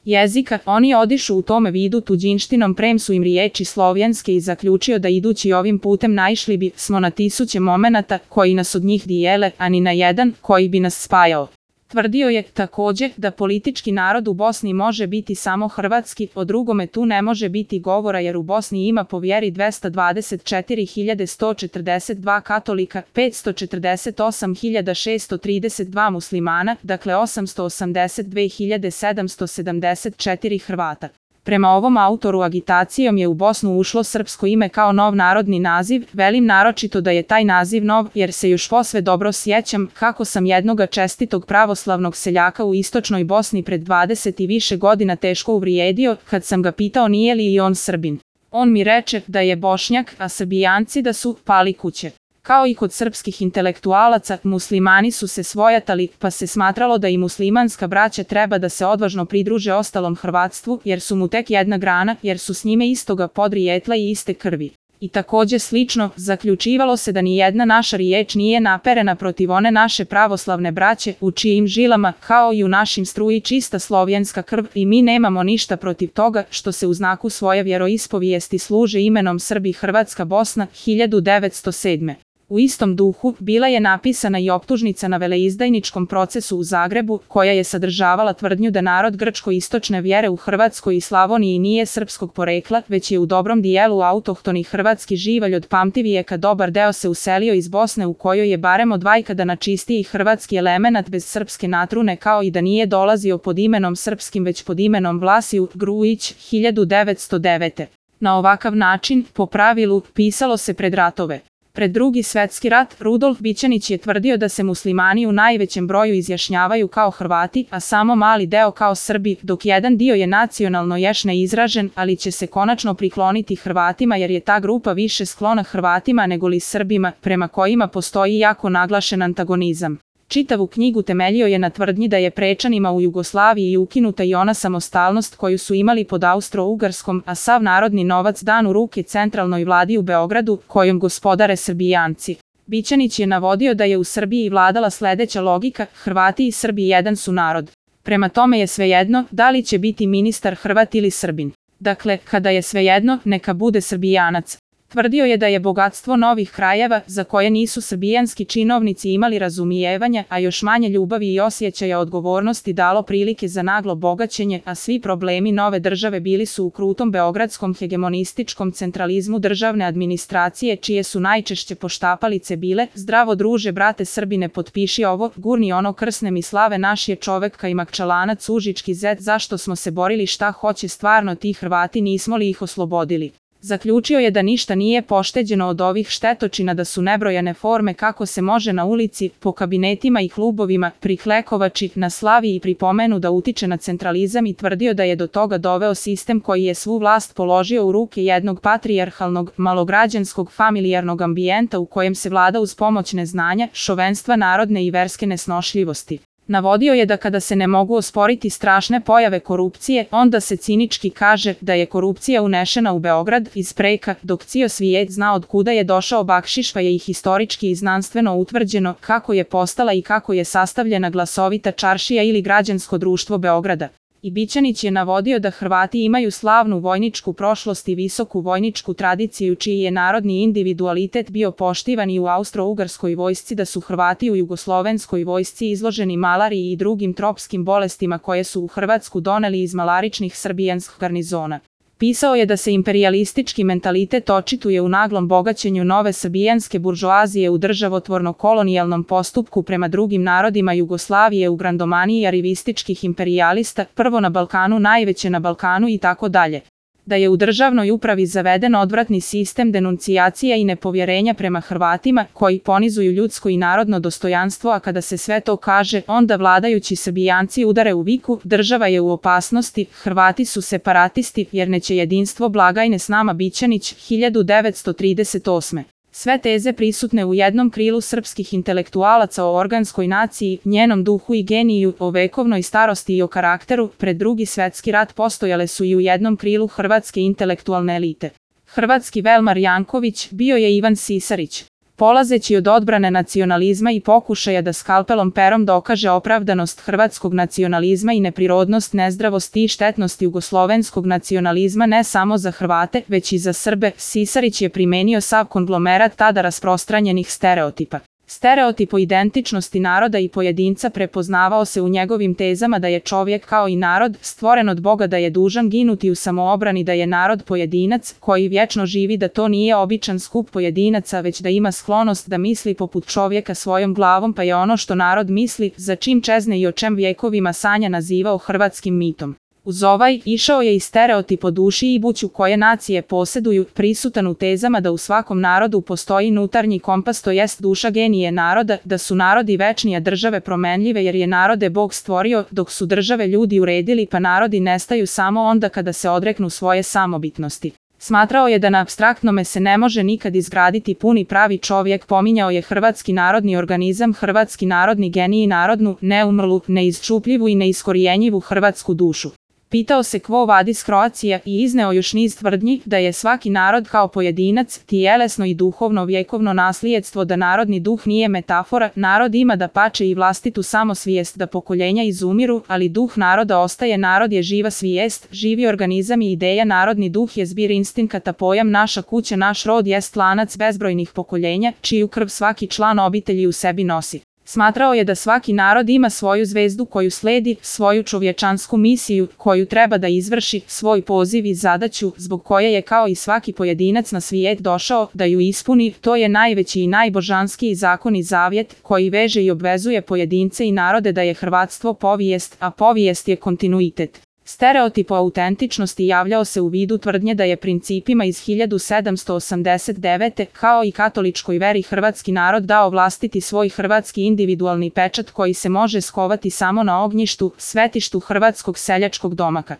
jezika, oni odišu u tome vidu tuđinštinom, prem su im riječi slovenske i zaključio da idući ovim putem naišli bi smo na tisuće momenata koji nas od njih dijele, a ni na jedan koji bi nas spajao. Tvrdio je, također, da politički narod u Bosni može biti samo hrvatski, o drugome tu ne može biti govora jer u Bosni ima po vjeri 224.142 katolika, 548.632 muslimana, dakle 882.774 Hrvata. Prema ovom autoru agitacijom je u Bosnu ušlo srpsko ime kao nov narodni naziv, velim naročito da je taj naziv nov jer se još posve dobro sjećam kako sam jednoga čestitog pravoslavnog seljaka u istočnoj Bosni pred 20 i više godina teško uvrijedio kad sam ga pitao nije li i on Srbin. On mi reče da je Bošnjak, a Srbijanci da su pali kuće. Kao i kod srpskih intelektualaca, muslimani su se svojatali, pa se smatralo da i muslimanska braća treba da se odvažno pridruže ostalom hrvatstvu, jer su mu tek jedna grana, jer su s njime istoga podrijetla i iste krvi. I također slično, zaključivalo se da ni jedna naša riječ nije naperena protiv one naše pravoslavne braće, u čijim žilama, kao i u našim struji čista slovenska krv, i mi nemamo ništa protiv toga, što se u znaku svoje vjeroispovijesti služe imenom Srbi Hrvatska Bosna, 1907. U istom duhu bila je napisana i optužnica na veleizdajničkom procesu u Zagrebu, koja je sadržavala tvrdnju da narod grčko-istočne vjere u Hrvatskoj i Slavoniji nije srpskog porekla, već je u dobrom dijelu autohtoni hrvatski živalj od pamtivijeka dobar deo se uselio iz Bosne u kojoj je barem od vajkada na čistiji hrvatski elemenat bez srpske natrune, kao i da nije dolazio pod imenom srpskim već pod imenom Vlasiju Grujić, 1909. Na ovakav način, po pravilu, pisalo se pred ratove. Pred Drugi svjetski rat, Rudolf Bićanić je tvrdio da se muslimani u najvećem broju izjašnjavaju kao Hrvati, a samo mali deo kao Srbi, dok jedan dio je nacionalno još neizražen, ali će se konačno prikloniti Hrvatima jer je ta grupa više sklona Hrvatima nego li Srbima, prema kojima postoji jako naglašen antagonizam. Čitavu knjigu temeljio je na tvrdnji da je Prečanima u Jugoslaviji ukinuta i ona samostalnost koju su imali pod Austro-Ugarskom, a sav narodni novac dan u ruke centralnoj vladi u Beogradu, kojom gospodare Srbijanci. Bićanić je navodio da je u Srbiji vladala sljedeća logika: Hrvati i Srbi jedan su narod. Prema tome je svejedno da li će biti ministar Hrvat ili Srbin. Dakle, kada je svejedno, neka bude Srbijanac. Tvrdio je da je bogatstvo novih krajeva, za koje nisu srbijanski činovnici imali razumijevanja, a još manje ljubavi i osjećaja odgovornosti dalo prilike za naglo bogaćenje, a svi problemi nove države bili su u krutom beogradskom hegemonističkom centralizmu državne administracije, čije su najčešće poštapalice bile: zdravo druže brate Srbine, potpiši ovo, gurni ono, krsne mi slave, naš je čovek kajmak čalanac užički zet, zašto smo se borili, šta hoće stvarno ti Hrvati, nismo li ih oslobodili. Zaključio je da ništa nije pošteđeno od ovih štetočina, da su nebrojane forme kako se može na ulici, po kabinetima i klubovima, priklekovači, na slavi i pripomenu da utiče na centralizam i tvrdio da je do toga doveo sistem koji je svu vlast položio u ruke jednog patrijarhalnog, malograđanskog, familijarnog ambijenta u kojem se vlada uz pomoć neznanja, šovenstva narodne i verske nesnošljivosti. Navodio je da kada se ne mogu osporiti strašne pojave korupcije, onda se cinički kaže da je korupcija unešena u Beograd iz preka, dok cijel svijet zna od kuda je došao bakšiš, pa je i historički i znanstveno utvrđeno kako je postala i kako je sastavljena glasovita čaršija ili građansko društvo Beograda. I Bićanić je navodio da Hrvati imaju slavnu vojničku prošlost i visoku vojničku tradiciju, čiji je narodni individualitet bio poštivan i u Austro-Ugarskoj vojsci, da su Hrvati u Jugoslovenskoj vojsci izloženi malariji i drugim tropskim bolestima koje su u Hrvatsku doneli iz malaričnih srbijanskih garnizona. Pisao je da se imperijalistički mentalitet očituje u naglom bogaćenju nove srbijanske buržoazije u državotvorno-kolonijalnom postupku prema drugim narodima Jugoslavije, u grandomaniji arivističkih imperijalista, prvo na Balkanu, najveće na Balkanu i tako dalje. Da je u državnoj upravi zaveden odvratni sistem denuncijacija i nepovjerenja prema Hrvatima, koji ponizuju ljudsko i narodno dostojanstvo, a kada se sve to kaže, onda vladajući Srbijanci udare u viku: država je u opasnosti, Hrvati su separatisti, jer neće jedinstvo blagajne s nama. Bićanić, 1938. Sve teze prisutne u jednom krilu srpskih intelektualaca o organskoj naciji, njenom duhu i geniju, o vekovnoj starosti i o karakteru, pred Drugi svjetski rat postojale su i u jednom krilu hrvatske intelektualne elite. Hrvatski Velmar Janković bio je Ivan Sisarić. Polazeći od odbrane nacionalizma i pokušaja da skalpelom perom dokaže opravdanost hrvatskog nacionalizma i neprirodnost, nezdravost i štetnost jugoslovenskog nacionalizma ne samo za Hrvate, već i za Srbe, Sisarić je primenio sav konglomerat tada rasprostranjenih stereotipa. Stereotip o identičnosti naroda i pojedinca prepoznavao se u njegovim tezama da je čovjek kao i narod stvoren od Boga, da je dužan ginuti u samoobrani, da je narod pojedinac koji vječno živi, da to nije običan skup pojedinaca, već da ima sklonost da misli poput čovjeka svojom glavom, pa je ono što narod misli, za čim čezne i o čem vjekovima sanja, nazivao hrvatskim mitom. Uz ovaj išao je i stereotip o duši i buću koje nacije posjeduju, prisutan u tezama da u svakom narodu postoji unutarnji kompas, to jest duša genije naroda, da su narodi večni a države promenljive jer je narode Bog stvorio, dok su države ljudi uredili, pa narodi nestaju samo onda kada se odreknu svoje samobitnosti. Smatrao je da na apstraktnome se ne može nikad izgraditi puni pravi čovjek, pominjao je hrvatski narodni organizam, hrvatski narodni genij, narodnu, neumrlu, neizčupljivu i neiskorijenjivu hrvatsku dušu. Pitao se quo vadis Croatia i izneo još niz tvrdnji da je svaki narod kao pojedinac, tijelesno i duhovno vjekovno naslijedstvo, da narodni duh nije metafora, narod ima dapače i vlastitu samosvijest, da pokoljenja izumiru, ali duh naroda ostaje, narod je živa svijest, živi organizam i ideja, narodni duh je zbir instinkata, pojam naša kuća, naš rod jest lanac bezbrojnih pokoljenja, čiju krv svaki član obitelji u sebi nosi. Smatrao je da svaki narod ima svoju zvezdu koju sledi, svoju čovječansku misiju koju treba da izvrši, svoj poziv i zadaću zbog koje je kao i svaki pojedinac na svijet došao da ju ispuni. To je najveći i najbožanskiji zakon i zavjet koji veže i obvezuje pojedince i narode, da je hrvatstvo povijest, a povijest je kontinuitet. Stereotip o autentičnosti javljao se u vidu tvrdnje da je principima iz 1789. kao i katoličkoj veri hrvatski narod dao vlastiti svoj hrvatski individualni pečat koji se može skovati samo na ognjištu, svetištu hrvatskog seljačkog domaka.